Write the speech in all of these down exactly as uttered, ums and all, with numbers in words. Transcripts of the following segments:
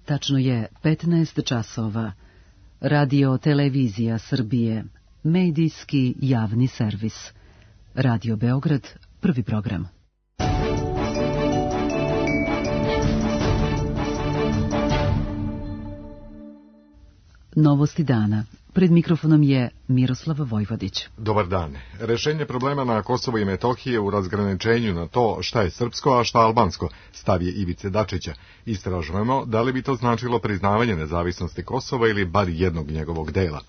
Tačno je petnaest časova. Radio Televizija Srbije, medijski javni servis. Radio Beograd, prvi program. Novosti dana. Pred mikrofonom je Miroslav Vojvodić. Dobar dan. Rešenje problema na Kosovo i Metohije u razgraničenju na to šta je srpsko, a šta albansko, stav je Ivice Dačića. Istražujemo da li bi to značilo priznavanje nezavisnosti Kosova ili bar jednog njegovog dela.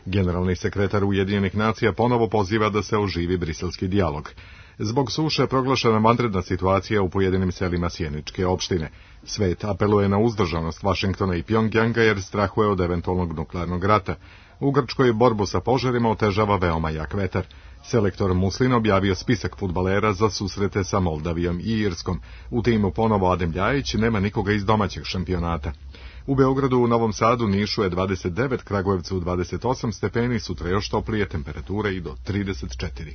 Generalni sekretar Ujedinjenih nacija ponovo poziva da se oživi briselski dijalog. Zbog suše proglašena vanredna situacija u pojedinim selima Sjeničke opštine. Svet apeluje na uzdržanost Vašingtona i Pjongjanga jer strahuje od eventualnog nuklearnog rata. U Grčkoj borbu sa požarima otežava veoma jak vetar. Selektor Muslin objavio spisak fudbalera za susrete sa Moldavijom i Irskom. U timu ponovo Adem Ljajić, nema nikoga iz domaćeg šampionata. U Beogradu, u Novom Sadu, Nišu je dvadeset devet, Kragujevcu dvadeset osam stepeni, sutra još toplije, temperature i do trideset četiri.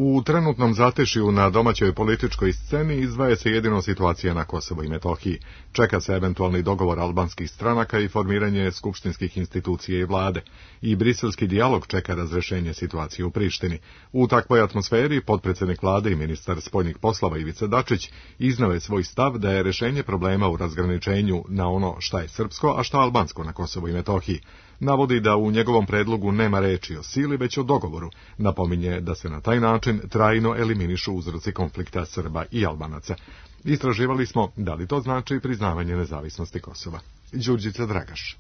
U trenutnom zatešju na domaćoj političkoj sceni izdvaja se jedino situacija na Kosovo i Metohiji. Čeka se eventualni dogovor albanskih stranaka i formiranje skupštinskih institucija i vlade. I briselski dijalog čeka razrešenje situacije u Prištini. U takvoj atmosferi potpredsjednik vlade i ministar spoljnih poslova Ivica Dačić iznao je svoj stav da je rešenje problema u razgraničenju na ono šta je srpsko, a šta albansko na Kosovo i Metohiji. Navodi da u njegovom predlogu nema reči o sili, već o dogovoru. Napominje da se na taj način trajno eliminišu uzroci konflikta Srba i Albanaca. Istraživali smo da li to znači priznavanje nezavisnosti Kosova. Đurđica Dragaš.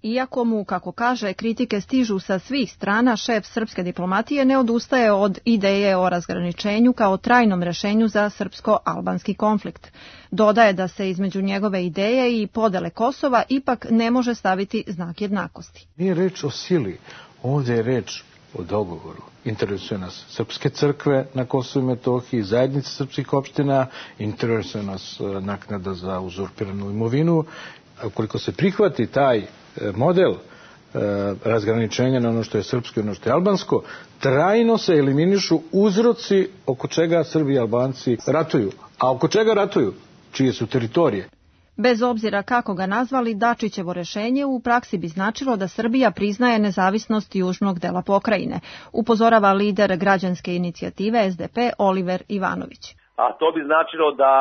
Iako mu, kako kaže, kritike stižu sa svih strana, šef srpske diplomatije ne odustaje od ideje o razgraničenju kao trajnom rešenju za srpsko-albanski konflikt. Dodaje da se između njegove ideje i podele Kosova ipak ne može staviti znak jednakosti. Nije reč o sili, ovdje je reč o dogovoru. Interesuje nas srpske crkve na Kosovu i Metohiji, zajednice srpskih opština, interesuje nas naknada za uzurpiranu imovinu. Ukoliko se prihvati taj model e, razgraničenja na ono što je srpsko i ono što je albansko, trajno se eliminišu uzroci oko čega Srbi i Albanci ratuju. A oko čega ratuju? Čije su teritorije? Bez obzira kako ga nazvali, Dačićevo rešenje u praksi bi značilo da Srbija priznaje nezavisnost južnog dela pokrajine, upozorava lider građanske inicijative S D P Oliver Ivanović. A to bi značilo da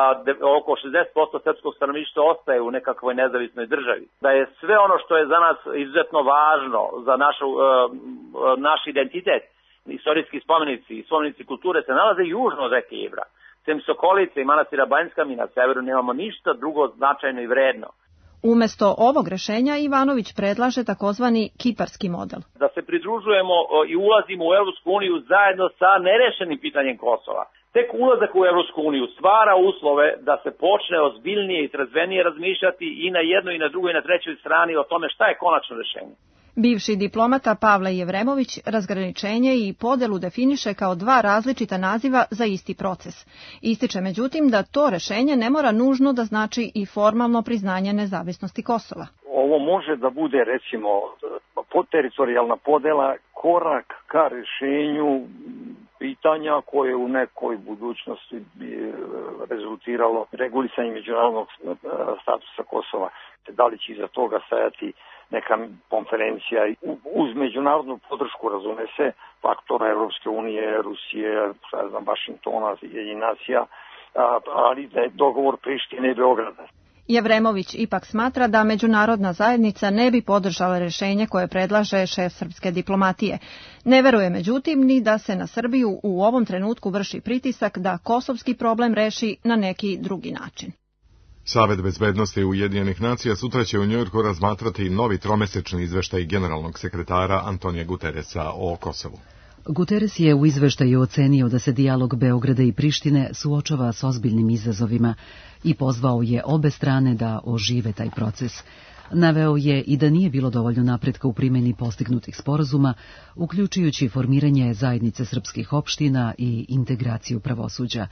oko šezdeset posto srpskog stanovništva ostaje u nekakvoj nezavisnoj državi. Da je sve ono što je za nas izuzetno važno, za našu, uh, naš identitet, istorijski spomenici i spomenici kulture se nalaze južno od reke Ibra. Sem Sokolice i manastira Banjska, mi na severu nemamo ništa drugo značajno i vredno. Umesto ovog rešenja Ivanović predlaže takozvani kiparski model. Da se pridružujemo i ulazimo u Evropsku uniju zajedno sa nerešenim pitanjem Kosova. Tek ulazak u Evropsku uniju stvara uslove da se počne ozbiljnije i trezvenije razmišljati i na jednoj i na drugoj i na trećoj strani o tome šta je konačno rešenje. Bivši diplomata Pavle Jevremović razgraničenje i podelu definiše kao dva različita naziva za isti proces. Ističe međutim da to rešenje ne mora nužno da znači i formalno priznanje nezavisnosti Kosova. Ovo može da bude, recimo, teritorijalna podela, korak ka rešenju pitanja koje u nekoj budućnosti bi rezultiralo regulisanjem međunarodnog statusa Kosova. Da li će iza toga stajati neka konferencija uz međunarodnu podršku, razume se, faktora Evropske unije, Rusije, šta znam, Vašingtona, Ujedinjenih nacija, ali da je dogovor Prištine i Beograda. Jevremović ipak smatra da međunarodna zajednica ne bi podržala rešenje koje predlaže šef srpske diplomatije. Ne veruje međutim ni da se na Srbiju u ovom trenutku vrši pritisak da kosovski problem reši na neki drugi način. Savet bezbednosti Ujedinjenih nacija sutra će u Njujorku razmatrati novi tromesečni izveštaj generalnog sekretara Antonija Guteresa o Kosovu. Guterres je u izveštaju ocenio da se dijalog Beograda i Prištine suočava s ozbiljnim izazovima i pozvao je obe strane da ožive taj proces. Naveo je i da nije bilo dovoljno napretka u primjeni postignutih sporazuma, uključujući formiranje zajednice srpskih opština i integraciju pravosuđa.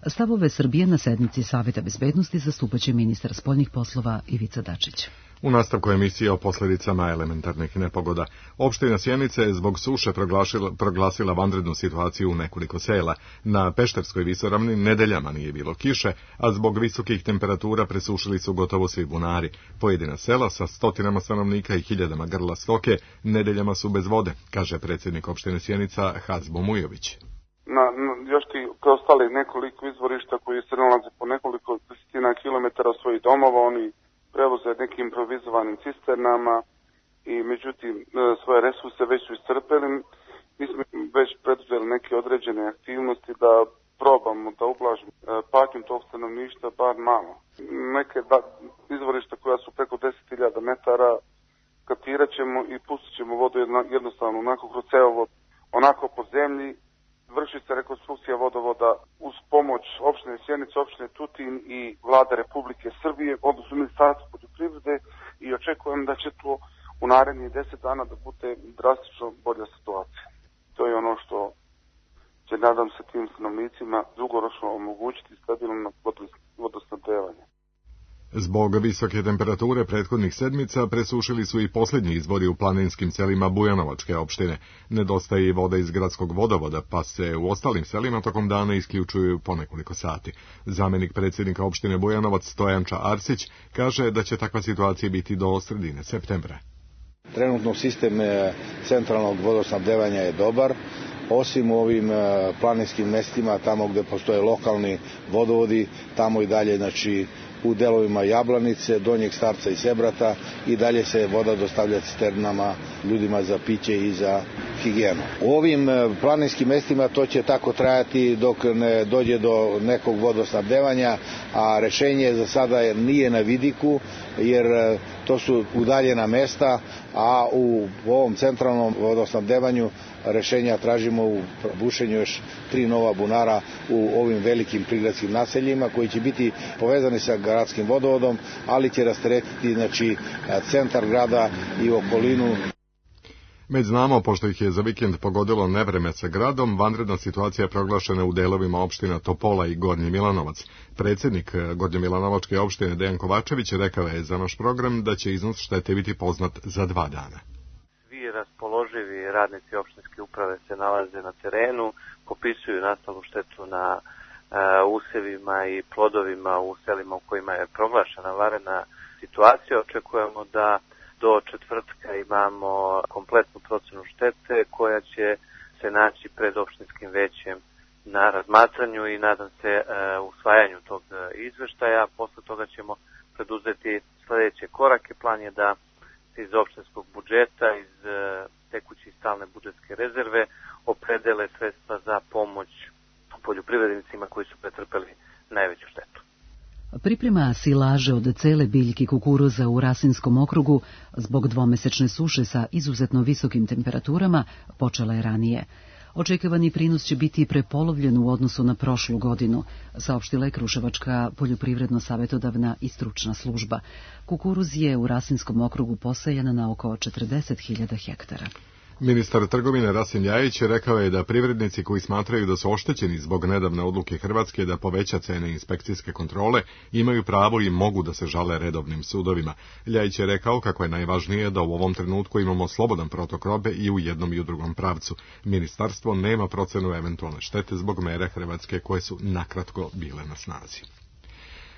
Stavove Srbije na sednici Saveta bezbednosti zastupaće ministar spoljnih poslova Ivica Dačić. U nastavku emisije o posljedicama elementarnih nepogoda. Opština Sjenica je zbog suše proglasila, proglasila vanrednu situaciju u nekoliko sela. Na Pešterskoj visoravni nedeljama nije bilo kiše, a zbog visokih temperatura presušili su gotovo svi bunari. Pojedina sela sa stotinama stanovnika i hiljadama grla stoke nedeljama su bez vode, kaže predsjednik opštine Sjenica Hazbo Mujović. Na, na još ti preostali nekoliko izvorišta koji se nalaze po nekoliko desetina kilometara od svojih domova, oni prevoze nekim improvizovanim cisternama i međutim svoje resurse već su iscrpeli. Mi smo već preduzeli neke određene aktivnosti da probamo da ublažimo patnju tog stanovništva bar malo. Neke da, izvorišta koja su preko deset hiljada metara kaptirat ćemo i pustit ćemo vodu jednostavno onako kroz cevovod, onako po zemlji. Vrši se rekonstrukcija vodovoda uz pomoć opštine Sjenica, opštine Tutin i Vlade Republike Srbije, odnosno Ministarstva poljoprivrede, i očekujem da će to u narednih deset dana da bude drastično bolja situacija. To je ono što će, nadam se, tim stanovnicima dugoročno omogućiti stabilno vodosnabdevanje. Zbog visoke temperature prethodnih sedmica presušili su i posljednji izvori u planinskim selima Bujanovačke opštine. Nedostaje i voda iz gradskog vodovoda, pa se u ostalim selima tokom dana isključuju po nekoliko sati. Zamjenik predsjednika opštine Bujanovac Stojanča Arsić kaže da će takva situacija biti do sredine septembra. Trenutno sistem centralnog vodosnabdevanja je dobar. Osim u ovim planinskim mestima, tamo gdje postoje lokalni vodovodi, tamo i dalje, znači, u delovima Jablanice, Donjeg Starca i Sebrata i dalje se voda dostavlja cisternama ljudima za piće i za higijenu. U ovim planinskim mestima to će tako trajati dok ne dođe do nekog vodosnabdevanja, a rešenje za sada nije na vidiku, jer to su udaljena mesta, a u ovom centralnom vodosnabdevanju rešenja tražimo u bušenju još tri nova bunara u ovim velikim prigradskim naseljima koji će biti povezani sa gradskim vodovodom, ali će rasteretiti, znači, centar grada i okolinu. Med znamo, pošto ih je za vikend pogodilo nevreme sa gradom, vanredna situacija je proglašena u delovima opština Topola i Gornji Milanovac. Predsjednik Gornjomilanovačke opštine Dejan Kovačević rekao je za naš program da će iznos štete biti poznat za dva dana. Svi raspoloživi radnici opštinske uprave se nalaze na terenu, popisuju nastalu štetu na uh, usevima i plodovima u selima u kojima je proglašena vanredna situacija. Očekujemo da do četvrtka imamo kompletnu procenu štete koja će se naći pred opštinskim većem na razmatranju i nadam se uh, usvajanju tog izveštaja. Posle toga ćemo preduzeti sljedeće korake. Plan je da iz opštinskog budžeta, iz uh, tekuće i stalne budžetske rezerve opredele sredstva za pomoć poljoprivrednicima koji su pretrpeli najveću štetu. Priprema silaže od cele biljke kukuruza u Rasinskom okrugu zbog dvomesečne suše sa izuzetno visokim temperaturama počela je ranije. Očekivani prinos će biti prepolovljen u odnosu na prošlu godinu, saopštila je Kruševačka poljoprivredno-savjetodavna i stručna služba. Kukuruz je u Rasinskom okrugu posajan na oko četrdeset hiljada hektara. Ministar trgovine Rasim Ljajić rekao je da privrednici koji smatraju da su oštećeni zbog nedavne odluke Hrvatske da poveća cene inspekcijske kontrole imaju pravo i mogu da se žale redovnim sudovima. Ljajić je rekao kako je najvažnije da u ovom trenutku imamo slobodan protok robe i u jednom i u drugom pravcu. Ministarstvo nema procenu eventualne štete zbog mere Hrvatske koje su nakratko bile na snazi.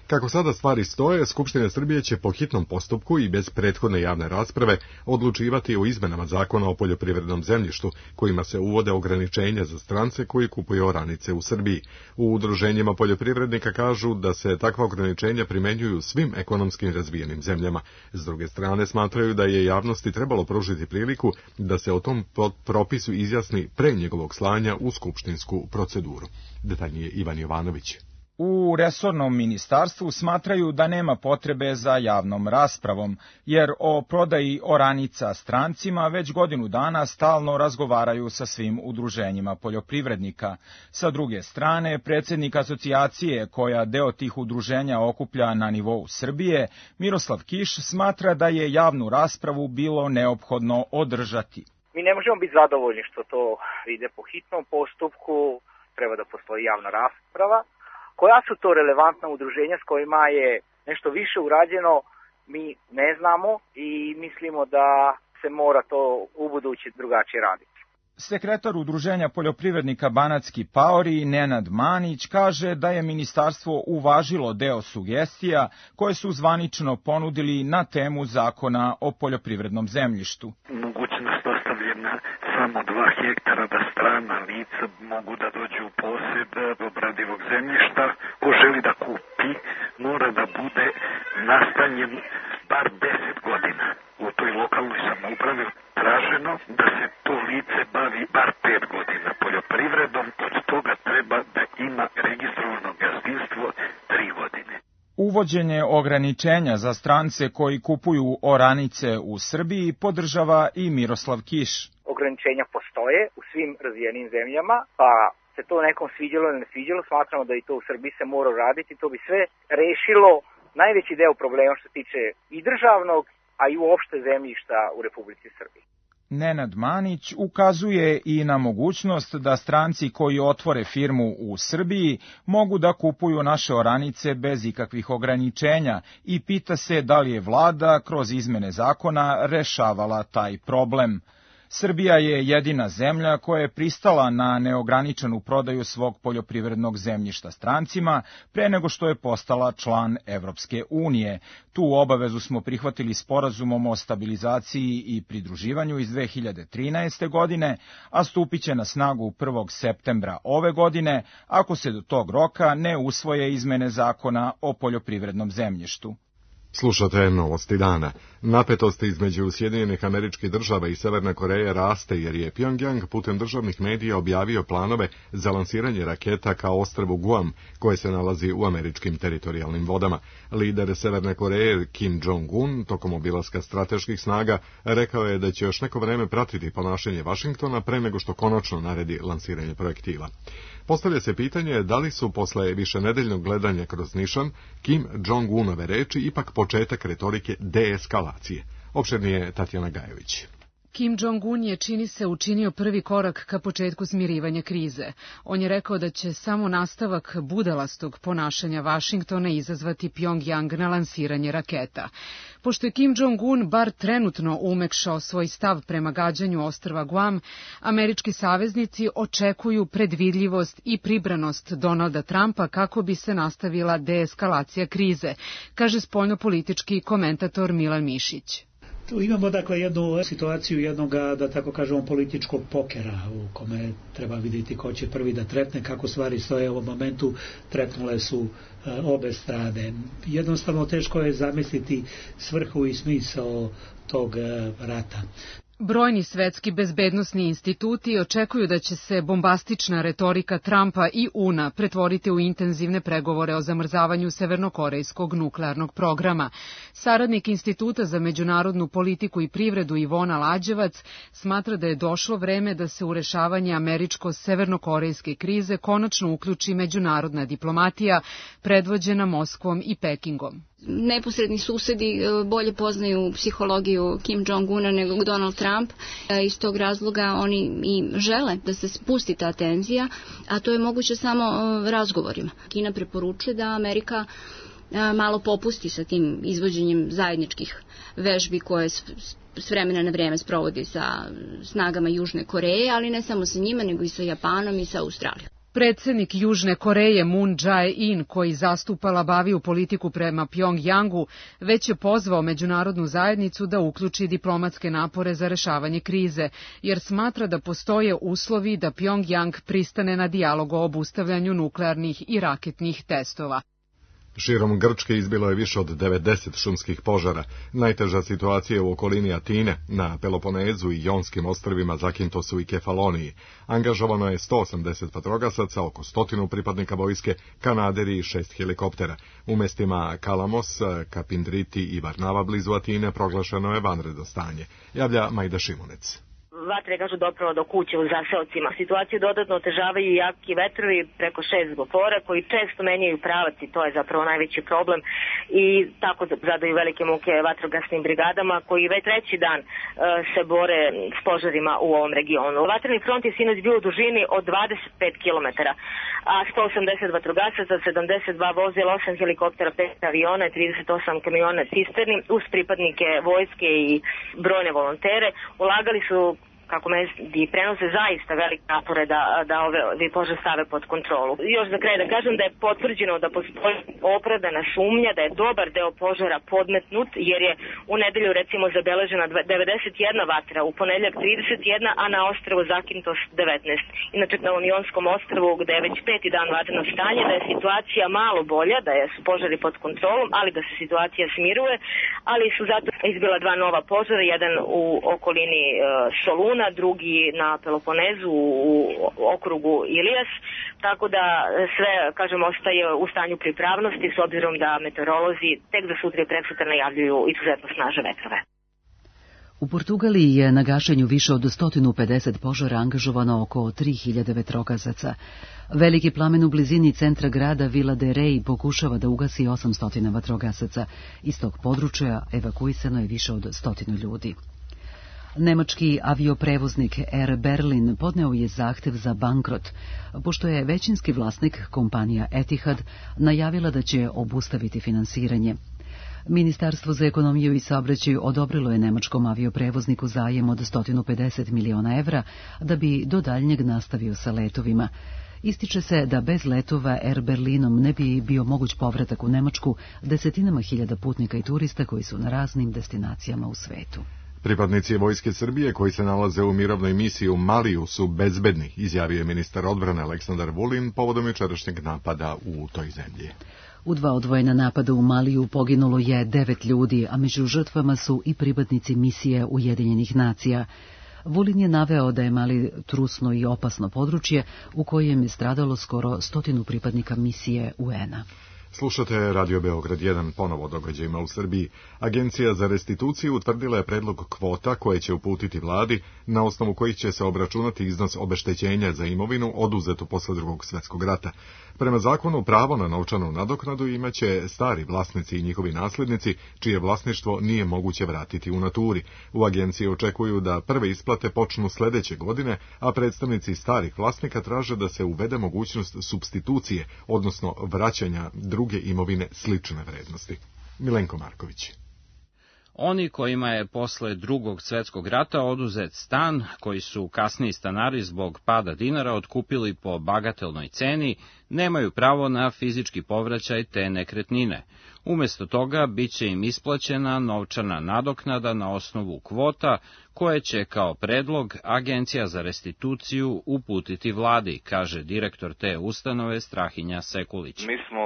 Kako sada stvari stoje, Skupština Srbije će po hitnom postupku i bez prethodne javne rasprave odlučivati o izmenama zakona o poljoprivrednom zemljištu, kojima se uvode ograničenja za strance koji kupuju oranice u Srbiji. U udruženjima poljoprivrednika kažu da se takva ograničenja primenjuju svim ekonomskim razvijenim zemljama. S druge strane smatraju da je javnosti trebalo pružiti priliku da se o tom propisu izjasni pre njegovog slanja u skupštinsku proceduru. Detaljnije Ivan Jovanović. U resornom ministarstvu smatraju da nema potrebe za javnom raspravom, jer o prodaji oranica strancima već godinu dana stalno razgovaraju sa svim udruženjima poljoprivrednika. Sa druge strane, predsjednik asocijacije koja deo tih udruženja okuplja na nivou Srbije, Miroslav Kiš, smatra da je javnu raspravu bilo neophodno održati. Mi ne možemo biti zadovoljni što to ide po hitnom postupku, treba da postoji javna rasprava. Koja su to relevantna udruženja s kojima je nešto više urađeno mi ne znamo i mislimo da se mora to u budući drugačije raditi. Sekretar Udruženja poljoprivrednika Banatski paori Nenad Manić kaže da je ministarstvo uvažilo deo sugestija koje su zvanično ponudili na temu zakona o poljoprivrednom zemljištu. Mogućnost ostavljena samo dva hektara da strana lica mogu da dođu u posjed obradivog zemljišta. Ko želi da kupi mora da bude nastanjen bar deset godina. U toj lokalnoj samoupravi traženo da se to lice bavi bar pet godina poljoprivredom, od toga treba da ima registrovano gazdinstvo tri godine. Uvođenje ograničenja za strance koji kupuju oranice u Srbiji podržava i Miroslav Kiš. Ograničenja postoje u svim razvijenim zemljama, pa se to nekom sviđalo ili ne sviđalo, smatramo da i to u Srbiji se mora raditi. To bi sve rešilo najveći deo problema što se tiče i državnog, a i uopšte zemljišta u Republici Srbiji. Nenad Manić ukazuje i na mogućnost da stranci koji otvore firmu u Srbiji mogu da kupuju naše oranice bez ikakvih ograničenja i pita se da li je vlada kroz izmene zakona rešavala taj problem. Srbija je jedina zemlja koja je pristala na neograničenu prodaju svog poljoprivrednog zemljišta strancima pre nego što je postala član Evropske unije. Tu obavezu smo prihvatili sporazumom o stabilizaciji i pridruživanju iz dve hiljade trinaeste. godine, a stupit će na snagu prvog septembra ove godine, ako se do tog roka ne usvoje izmene zakona o poljoprivrednom zemljištu. Slušate novosti dana. Napetost između Sjedinjenih Američkih Država i Severne Koreje raste jer je Pyongyang putem državnih medija objavio planove za lansiranje raketa ka ostrvu Guam, koje se nalazi u američkim teritorijalnim vodama. Lider Severne Koreje Kim Jong-un tokom obilaska strateških snaga rekao je da će još neko vreme pratiti ponašanje Vašingtona pre nego što konačno naredi lansiranje projektila. Postavlja se pitanje da li su posle višenedeljnog gledanja kroz nišan Kim Jong-unove reči ipak početak retorike deeskalacije. Opširnije Tatjana Gajević. Kim Jong-un je, čini se, učinio prvi korak ka početku smirivanja krize. On je rekao da će samo nastavak budalastog ponašanja Vašingtona izazvati Pyongyang na lansiranje raketa. Pošto je Kim Jong-un bar trenutno umekšao svoj stav prema gađanju ostrva Guam, američki saveznici očekuju predvidljivost i pribranost Donalda Trumpa kako bi se nastavila deeskalacija krize, kaže spoljnopolitički komentator Milan Mišić. Tu imamo dakle jednu situaciju jednog, da tako kažemo, političkog pokera u kome treba vidjeti ko će prvi da trepne, kako stvari stoje u ovom momentu. Trepnule su e, obe strane. Jednostavno teško je zamisliti svrhu i smisao tog e, rata. Brojni svetski bezbednosni instituti očekuju da će se bombastična retorika Trumpa i U N A pretvoriti u intenzivne pregovore o zamrzavanju severnokorejskog nuklearnog programa. Saradnik Instituta za međunarodnu politiku i privredu Ivona Lađevac smatra da je došlo vreme da se u rešavanje američko-severnokorejske krize konačno uključi međunarodna diplomatija predvođena Moskvom i Pekingom. Neposredni susedi bolje poznaju psihologiju Kim Jong-una nego Donald Trump. Iz tog razloga oni i žele da se spusti ta tenzija, a to je moguće samo razgovorima. Kina preporučuje da Amerika malo popusti sa tim izvođenjem zajedničkih vežbi koje s vremena na vrijeme sprovodi sa snagama Južne Koreje, ali ne samo sa njima, nego i sa Japanom i sa Australijom. Predsednik Južne Koreje Moon Jae-in, koji zastupa labaviju politiku prema Pyongyangu, već je pozvao međunarodnu zajednicu da uključi diplomatske napore za rešavanje krize, jer smatra da postoje uslovi da Pyongyang pristane na dijalog o obustavljanju nuklearnih i raketnih testova. Širom Grčke izbilo je više od devedeset šumskih požara. Najteža situacija je u okolini Atine, na Peloponezu i Jonskim ostrvima Zakintosu i Kefaloniji. Angažovano je sto osamdeset vatrogasaca, oko stotinu pripadnika vojske, kanaderi i šest helikoptera. U mestima Kalamos, Kapindriti i Varnava blizu Atine proglašeno je vanredno stanje. Javlja Majda Šimunec. vatre, kažu, dopravo do kuće u zaseocima. Situaciju dodatno otežavaju i jaki vetrovi preko šest gofora koji često menjaju pravac i to je zapravo najveći problem i tako zadaju velike muke vatrogasnim brigadama koji već treći dan uh, se bore s požarima u ovom regionu. Vatreni front je sinoć bio u dužini od dvadeset pet kilometara, a sto osamdeset vatrogasaca, sedamdeset dva vozila, osam helikoptera, pet aviona i trideset osam kamiona cisterni uz pripadnike vojske i brojne volontere ulagali su, kako mediji prenose, zaista velike napore da, da ove požar stave pod kontrolu. Još za kraj da kažem da je potvrđeno da postoji opravdana sumnja da je dobar deo požara podmetnut, jer je u nedelju recimo zabeležena devedeset jedna vatra, u ponedeljak trideset jedna, a na ostrvu Zakintos devetnaest. Inače na Unionskom ostrvu, gde je već peti dan vatreno stanje, da je situacija malo bolja, da je su požari pod kontrolom, ali da se situacija smiruje, ali su zato izbila dva nova požara, jedan u okolini uh, Soluna, drugi na Peloponezu u okrugu Ilijas, tako da sve, kažem, ostaje u stanju pripravnosti s obzirom da meteorolozi tek za sutra i preksutra najavljuju izuzetno snažne vetrove. U Portugaliji je na gašenju više od sto pedeset požara angažovano oko tri hiljade vetrogasaca. Veliki plamen u blizini centra grada Vila de Rei pokušava da ugasi osamsto vatrogasaca. Iz tog područja evakuisano je više od stotinu ljudi. Nemački avioprevoznik Air Berlin podneo je zahtev za bankrot, pošto je većinski vlasnik, kompanija Etihad, najavila da će obustaviti finansiranje. Ministarstvo za ekonomiju i saobraćaj odobrilo je nemačkom avioprevozniku zajem od sto pedeset miliona evra da bi do daljnjeg nastavio sa letovima. Ističe se da bez letova Air Berlinom ne bi bio moguć povratak u Nemačku desetinama hiljada putnika i turista koji su na raznim destinacijama u svetu. Pripadnici vojske Srbije koji se nalaze u mirovnoj misiji u Maliju su bezbedni, izjavio je ministar odbrane Aleksandar Vulin povodom jučerašnjeg napada u toj zemlji. U dva odvojena napada u Maliju poginulo je devet ljudi, a među žrtvama su i pripadnici misije Ujedinjenih nacija. Vulin je naveo da je Mali trusno i opasno područje u kojem je stradalo skoro stotinu pripadnika misije U N-a. Slušate Radio Beograd jedan, ponovo događajima u Srbiji. Agencija za restituciju utvrdila je predlog kvota koje će uputiti vladi, na osnovu kojih će se obračunati iznos obeštećenja za imovinu oduzetu posle Drugog svjetskog rata. Prema zakonu, pravo na novčanu nadoknadu imaće stari vlasnici i njihovi nasljednici, čije vlasništvo nije moguće vratiti u naturi. U agenciji očekuju da prve isplate počnu sljedeće godine, a predstavnici starih vlasnika traže da se uvede mogućnost supstitucije, odnosno vraćanja druge imovine slične vrednosti. Milenko Marković. Oni kojima je posle Drugog svjetskog rata oduzet stan, koji su kasniji stanari zbog pada dinara otkupili po bagatelnoj ceni, nemaju pravo na fizički povraćaj te nekretnine. Umjesto toga bit će im isplaćena novčana nadoknada na osnovu kvota, koje će kao predlog Agencija za restituciju uputiti vladi, kaže direktor te ustanove Strahinja Sekulić. Mi smo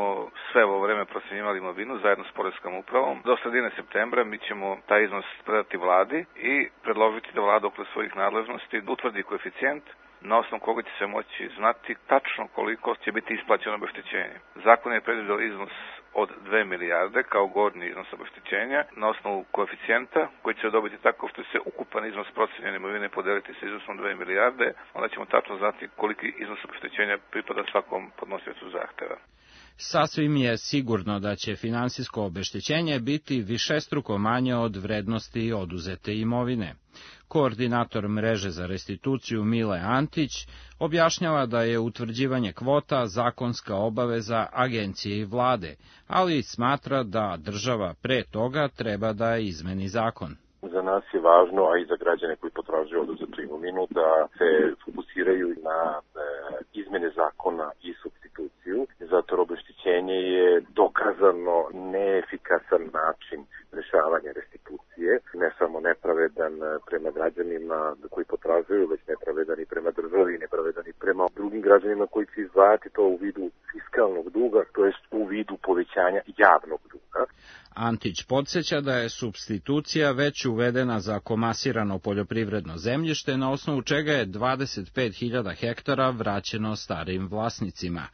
sve ovo vreme procjenjivali imovinu zajedno s Poreskom upravom. Do sredine septembra mi ćemo taj iznos predati vladi i predložiti da vlada okolo svojih nadležnosti utvrdi koeficijent na osnovu koga će se moći znati tačno koliko će biti isplaćeno obeštećenje. Zakon je predviđao iznos od dve milijarde kao gornji iznos obeštećenja na osnovu koeficijenta koji će dobiti tako što će se ukupan iznos procenjene imovine podeliti sa iznosom dve milijarde, onda ćemo tačno znati koliki iznos obeštećenja pripada svakom podnosiocu zahteva. Sasvim je sigurno da će finansijsko obeštećenje biti višestruko manje od vrednosti oduzete imovine. Koordinator mreže za restituciju Mile Antić objašnjava da je utvrđivanje kvota zakonska obaveza agencije i vlade, ali smatra da država pre toga treba da izmeni zakon. Za nas je važno, a i za građane koji potražuju oduzetu imovinu, da se fokusiraju na e, izmene zakona i supstituciju, zato jer obeštećenje je dokazano neefikasan način rešavanja restitucije, ne samo nepravedan prema građanima koji potražuju, već nepravedan i prema državi, nepravedan i prema drugim građanima koji će izdvajati to u vidu fiskalnog duga, to jest u vidu povećanja javnog duga. Antić podsjeća da je supstitucija već uvedena za komasirano poljoprivredno zemljište, na osnovu čega je dvadeset pet hiljada hektara vraćeno starim vlasnicima.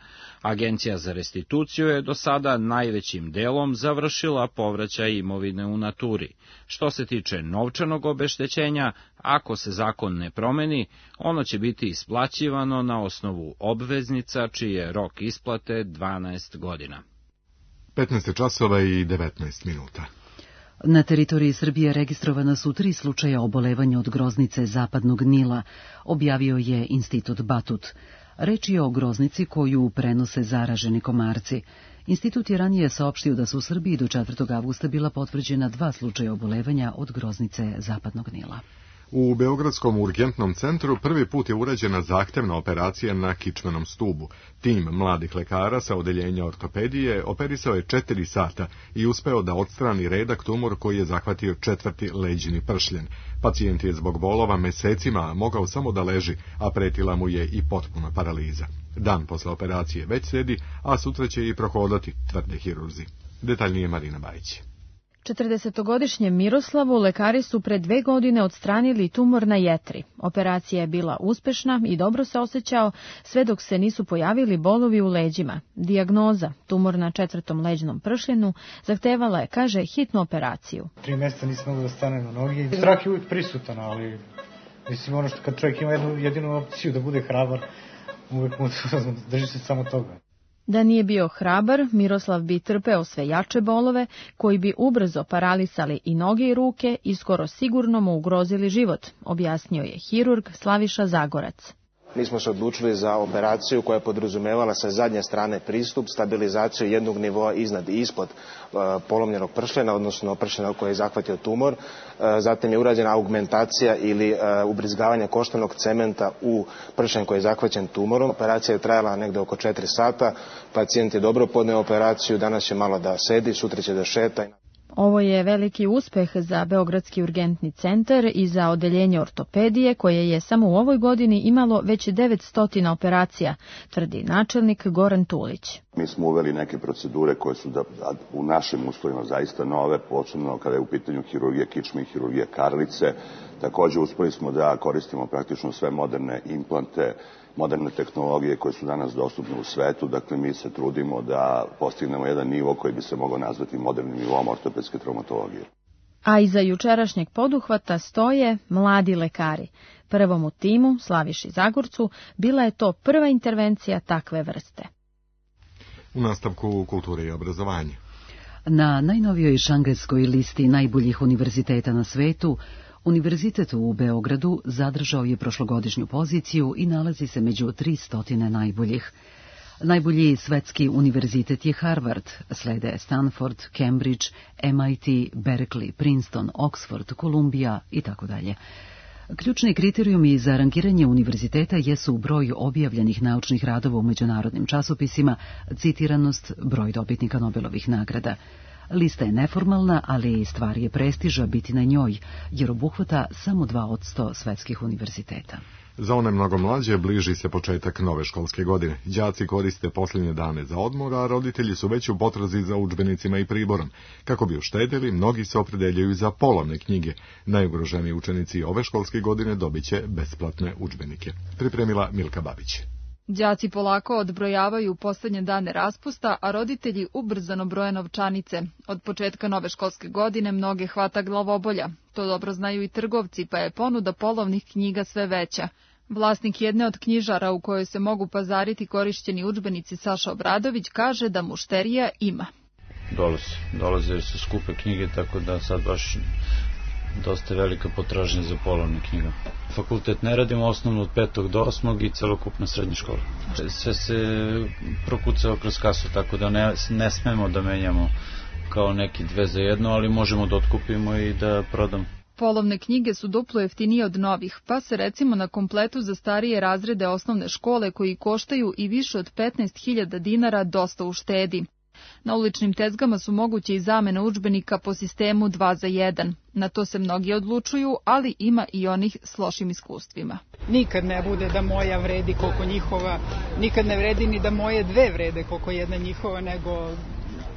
Agencija za restituciju je do sada najvećim delom završila povraćaj imovine u naturi. Što se tiče novčanog obeštećenja, ako se zakon ne promeni, ono će biti isplaćivano na osnovu obveznica čiji je rok isplate dvanaest godina. petnaest časova i devetnaest minuta. Na teritoriji Srbije registrovana su tri slučaja obolevanja od groznice zapadnog Nila, objavio je Institut Batut. Reč je o groznici koju prenose zaraženi komarci. Institut je ranije saopštio da su u Srbiji do četvrtog avgusta bila potvrđena dva slučaja obolevanja od groznice zapadnog Nila. U Beogradskom urgentnom centru prvi put je urađena zahtevna operacija na kičmenom stubu. Tim mladih lekara sa odeljenja ortopedije operisao je četiri sata i uspeo da odstrani redak tumor koji je zahvatio četvrti leđini pršljen. Pacijent je zbog bolova mesecima mogao samo da leži, a pretila mu je i potpuna paraliza. Dan posle operacije već sedi, a sutra će i prohodati, tvrde hirurzi. Detaljnije Marina Bajić. četrdesetogodišnjem Miroslavu lekari su pre dve godine odstranili tumor na jetri. Operacija je bila uspešna i dobro se osjećao, sve dok se nisu pojavili bolovi u leđima. Dijagnoza, tumor na četvrtom leđnom pršljenu, zahtevala je, kaže, hitnu operaciju. Tri mjeseca nisam mogao da stane na nogi. Strah je uvijek prisutan, ali mislim ono što kad čovjek ima jednu jedinu opciju da bude hrabar, uvijek mu drži se samo toga. Da nije bio hrabar, Miroslav bi trpeo sve jače bolove, koji bi ubrzo paralisali i noge i ruke i skoro sigurno mu ugrozili život, objasnio je hirurg Slaviša Zagorac. Mi smo se odlučili za operaciju koja je podrazumevala sa zadnje strane pristup, stabilizaciju jednog nivoa iznad i ispod uh, polomljenog pršljena, odnosno pršljena koji je zahvatio tumor. Uh, zatim je urađena augmentacija ili uh, ubrizgavanje koštanog cementa u pršljen koji je zahvaćen tumorom. Operacija je trajala negde oko četiri sata, pacijent je dobro podneo operaciju, danas će malo da sedi, sutra će da šeta. Ovo je veliki uspeh za Beogradski urgentni centar i za odeljenje ortopedije, koje je samo u ovoj godini imalo već devetsto operacija, tvrdi načelnik Goran Tulić. Mi smo uveli neke procedure koje su da, u našim uslovima zaista nove, posebno kada je u pitanju hirurgija kičme i hirurgija karlice. Također uspeli smo da koristimo praktično sve moderne implante, moderne tehnologije koje su danas dostupne u svetu. Dakle, mi se trudimo da postignemo jedan nivo koji bi se mogao nazvati modernim nivom ortopedske traumatologije. A iza jučerašnjeg poduhvata stoje mladi lekari. Prvom u timu, Slaviši Zagorcu, bila je to prva intervencija takve vrste. U nastavku kulture i obrazovanja. Na najnovijoj šangajskoj listi najboljih univerziteta na svetu, Univerzitet u Beogradu zadržao je prošlogodišnju poziciju i nalazi se među tristo najboljih. Najbolji svetski univerzitet je Harvard, slede Stanford, Cambridge, M I T, Berkeley, Princeton, Oxford, Columbia i tako dalje. Ključni kriterijumi za rangiranje univerziteta jesu broj objavljenih naučnih radova u međunarodnim časopisima, citiranost, broj dobitnika Nobelovih nagrada. Lista je neformalna, ali stvar je prestiža biti na njoj, jer obuhvata samo dva posto svetskih univerziteta. Za one mnogo mlađe bliži se početak nove školske godine. Đaci koriste posljednje dane za odmor, a roditelji su već u potrazi za udžbenicima i priborom. Kako bi uštedjeli, mnogi se opredeljuju za polovne knjige. Najugroženiji učenici ove školske godine dobit će besplatne udžbenike. Pripremila Milka Babić. Đaci polako odbrojavaju poslednje dane raspusta, a roditelji ubrzano broje novčanice. Od početka nove školske godine mnoge hvata glavobolja. To dobro znaju i trgovci, pa je ponuda polovnih knjiga sve veća. Vlasnik jedne od knjižara u kojoj se mogu pazariti korišćeni udžbenici Saša Obradović kaže da mušterija ima. Dolaze, dolaze su skupe knjige, tako da sad baš dosta velika potražnja za polovne knjiga. Fakultet ne radimo, osnovno od petog do osmog i celokupna srednja škola. Sve se prokucao kroz kasu, tako da ne, ne smemo da menjamo kao neki dve za jedno, ali možemo da otkupimo i da prodamo. Polovne knjige su duplo jeftinije od novih, pa se recimo na kompletu za starije razrede osnovne škole koji koštaju i više od petnaest hiljada dinara dosta uštedi. Na uličnim tezgama su moguće i zamene udžbenika po sistemu dva za jedan. Na to se mnogi odlučuju, ali ima i onih s lošim iskustvima. Nikad ne bude da moja vredi koliko njihova, nikad ne vredi ni da moje dve vrede koliko jedna njihova, nego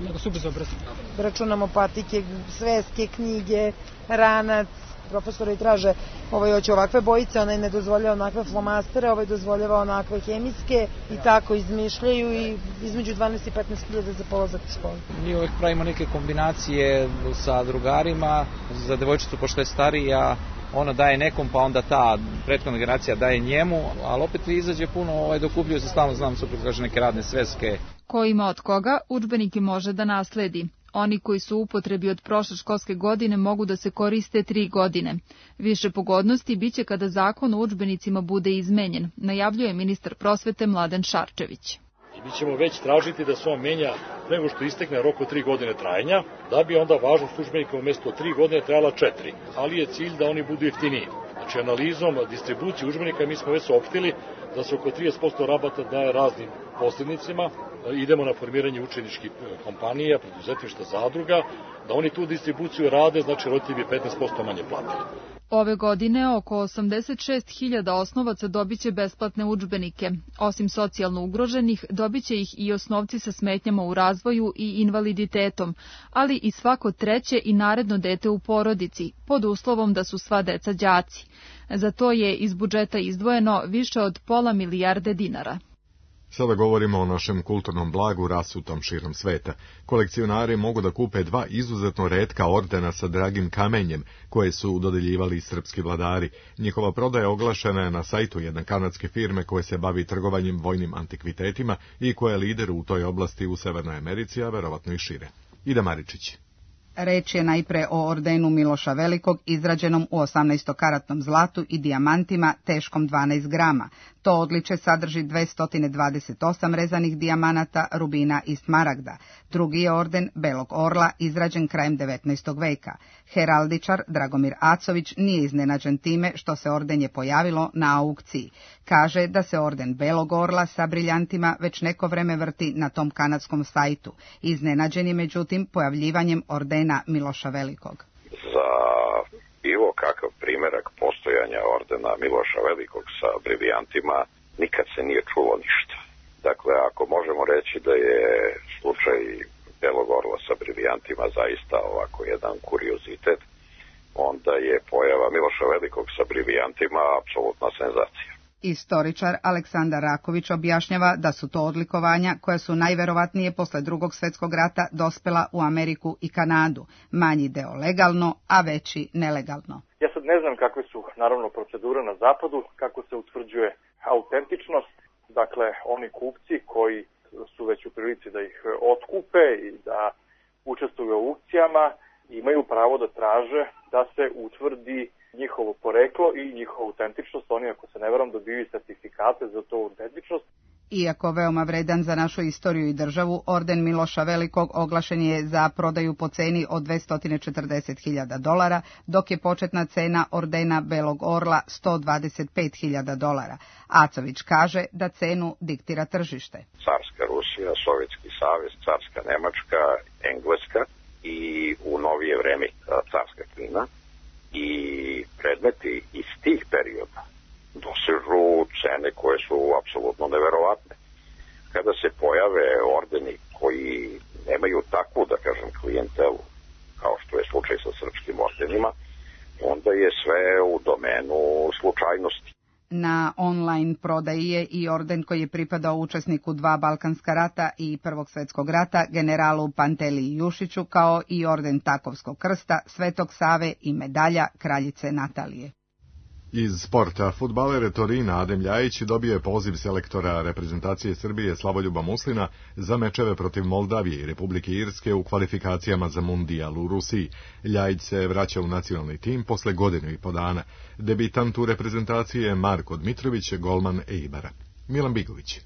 nego su bezobrazni. Računamo patike, sveske, knjige, ranac, profesori traže ovaj hoće ovakve bojice, onaj ne dozvoljava onakve flomastere, ovaj dozvoljava onakve hemijske i tako izmišljaju i između dvanaest i petnaest hiljada za polazak u školu. Mi uvek pravimo neke kombinacije sa drugarima, za devojčicu pošto je starija, ona daje nekom, pa onda ta prethodna generacija daje njemu, ali opet izađe puno, ovaj, dokupljuju se stalno, znam, super, kaže neke radne sveske. Ko ima od koga, udžbenike može da nasledi. Oni koji su u upotrebi od prošle školske godine mogu da se koriste tri godine. Više pogodnosti biće kada zakon o udžbenicima bude izmenjen, najavljuje ministar prosvete Mladen Šarčević. I mi ćemo već tražiti da se on menja nego što istekne rok od tri godine trajanja, da bi onda važnost udžbenika umjesto tri godine trajala četiri, ali je cilj da oni budu jeftiniji. Znači analizom distribucije udžbenika mi smo već saopštili da se oko trideset posto rabata daje raznim posrednicima, idemo na formiranje učeničkih kompanija, preduzetništva, zadruga, da oni tu distribuciju rade, znači roditelji bi petnaest posto manje platili. Ove godine oko osamdeset šest hiljada osnovaca dobiće besplatne udžbenike. Osim socijalno ugroženih, dobiće ih i osnovci sa smetnjama u razvoju i invaliditetom, ali i svako treće i naredno dete u porodici, pod uslovom da su sva deca đaci. Za to je iz budžeta izdvojeno više od pola milijarde dinara. Sada govorimo o našem kulturnom blagu rasutom širom sveta. Kolekcionari mogu da kupe dva izuzetno retka ordena sa dragim kamenjem, koje su dodeljivali srpski vladari. Njihova prodaja oglašena je na sajtu jedne kanadske firme koje se bavi trgovanjem vojnim antikvitetima i koja je lider u toj oblasti u Severnoj Americi, a verovatno i šire. Ida Maričić. Reč je najpre o ordenu Miloša Velikog izrađenom u osamnaestokaratnom zlatu i dijamantima teškom dvanaest grama. To odličje sadrži dvesta dvadeset osam rezanih dijamanata, rubina i smaragda. Drugi je orden Belog orla izrađen krajem devetnaestog veka. Heraldičar Dragomir Acović nije iznenađen time što se ordenje pojavilo na aukciji. Kaže da se orden Belog orla sa briljantima već neko vreme vrti na tom kanadskom sajtu. Iznenađen je međutim pojavljivanjem ordena Miloša Velikog. Za bilo kakav primjerak postojanja ordena Miloša Velikog sa brivijantima nikad se nije čulo ništa. Dakle, ako možemo reći da je slučaj Belog orla sa brivijantima zaista ovako jedan kuriozitet, onda je pojava Miloša Velikog sa brivijantima apsolutna senzacija. Istoričar Aleksandar Raković objašnjava da su to odlikovanja koja su najverovatnije posle drugog svjetskog rata dospela u Ameriku i Kanadu, manji deo legalno, a veći nelegalno. Ja sad ne znam kakve su naravno procedure na zapadu, kako se utvrđuje autentičnost, dakle oni kupci koji su već u prilici da ih otkupe i da učestvuju u aukcijama imaju pravo da traže da se utvrdi njihovo poreklo i njihovu autentičnost. Oni, ako se ne varam, dobiju sertifikate za to autentičnost. Iako veoma vredan za našu istoriju i državu, orden Miloša Velikog oglašen je za prodaju po ceni od dvesta četrdeset hiljada dolara, dok je početna cena ordena Belog orla sto dvadeset pet hiljada dolara. Acović kaže da cenu diktira tržište. Carska Rusija, Sovjetski savez, Carska Nemačka, Engleska i u novije vreme Carska Kina. I predmeti iz tih perioda dosežu cene koje su apsolutno neverovatne. Kada se pojave ordeni koji nemaju takvu, da kažem, klijentelu, kao što je slučaj sa srpskim ordenima, onda je sve u domenu slučajnosti. Na online prodaji je i orden koji je pripadao učesniku dva Balkanska rata i Prvog svjetskog rata, generalu Panteliji Jušiću, kao i orden Takovskog krsta, Svetog Save i medalja kraljice Natalije. Iz sporta, fudbaler Torina Adem Ljajić dobio je poziv selektora reprezentacije Srbije Slavoljuba Muslina za mečeve protiv Moldavije i Republike Irske u kvalifikacijama za mundijal u Rusiji. Ljajić se vraća u nacionalni tim posle godinu i po dana. Debitant u reprezentaciji je Marko Dmitrović, golman Eibara. Milan Bigović.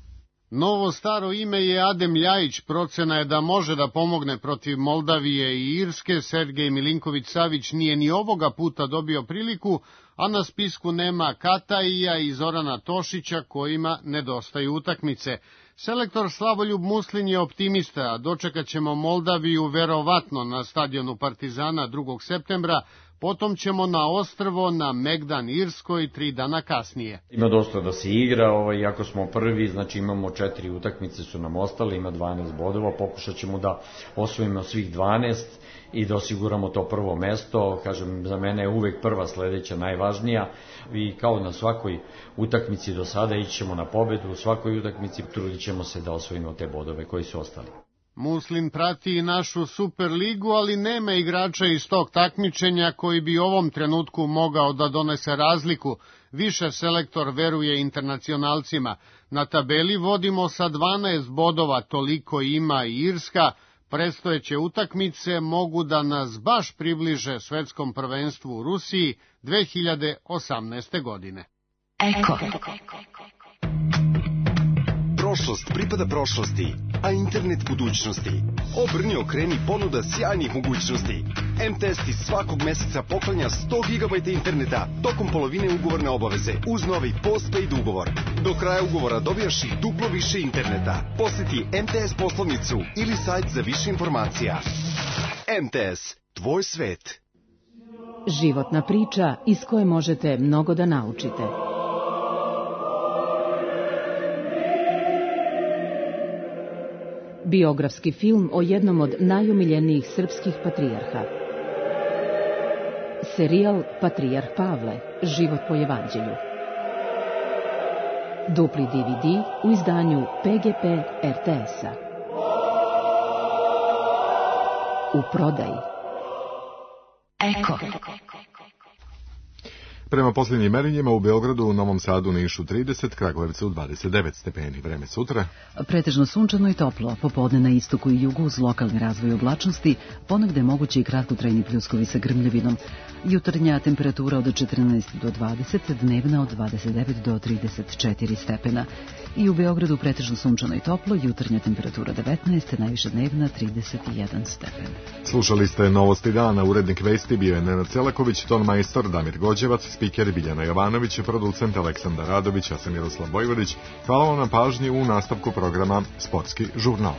Novo staro ime je Adem Ljajić, procena je da može da pomogne protiv Moldavije i Irske. Sergej Milinković-Savić nije ni ovoga puta dobio priliku, a na spisku nema Kataija i Zorana Tošića kojima nedostaju utakmice. Selektor Slavoljub Muslin je optimista, a dočekat ćemo Moldaviju verovatno na stadionu Partizana drugog septembra, potom ćemo na ostrvo na Megdan Irskoj tri dana kasnije. Ima dosta da se igra, ovaj, iako smo prvi, znači imamo četiri utakmice su nam ostale, ima dvanaest bodova, pokušat ćemo da osvojimo svih dvanaest i da osiguramo to prvo mesto. Kažem, za mene je uvek prva sledeća najvažnija i kao na svakoj utakmici do sada ići ćemo na pobedu, u svakoj utakmici trudit ćemo se da osvojimo te bodove koji su ostali. Muslin prati i našu Superligu, ali nema igrača iz tog takmičenja koji bi u ovom trenutku mogao da donese razliku. Više selektor veruje internacionalcima. Na tabeli vodimo sa dvanaest bodova, toliko ima i Irska. Predstojeće utakmice mogu da nas baš približe svetskom prvenstvu u Rusiji dve hiljade osamnaeste. godine. Eko. Prošlost pripada prošlosti, a internet budućnosti. Obrni, okreni, ponuda sjajnih mogućnosti. em te es ti svakog meseca poklanja sto gigabajta interneta tokom polovine ugovorne obaveze uz novi postpaid ugovor. Do kraja ugovora dobijaš i duplo više interneta. Poseti em te es poslovnicu ili sajt za više informacija. em te es, tvoj svet. Životna priča iz koje možete mnogo da naučite. Biografski film o jednom od najomiljenijih srpskih patrijarha. Serijal Patrijarh Pavle, život po evanđelju. Dupli de ve de u izdanju pe ge pe er te es-a. U prodaji. Eko. Prema posljednjim merenjima u Beogradu, u Novom Sadu, Nišu trideset, Kragujevcu dvadeset devet stepeni. Vreme sutra. Pretežno sunčano i toplo, popodne na istoku i jugu uz lokalni razvoj oblačnosti, ponegde mogući i kratkotrajni pljuskovi sa grmljavinom. Jutarnja temperatura od četrnaest do dvadeset, dnevna od dvadeset devet do trideset četiri stepena. I u Beogradu pretežno sunčano i toplo, jutarnja temperatura devetnaest, najviša dnevna trideset jedan stepen. Slušali ste Novosti dana, urednik vesti bio je Nenad Celaković, ton majstor Damir Gođevac, spiker Biljana Jovanović, producent Aleksandar Radović, ja sam Miroslav Bojvodić. Hvala vam na pažnji u nastavku programa Sportski žurnal.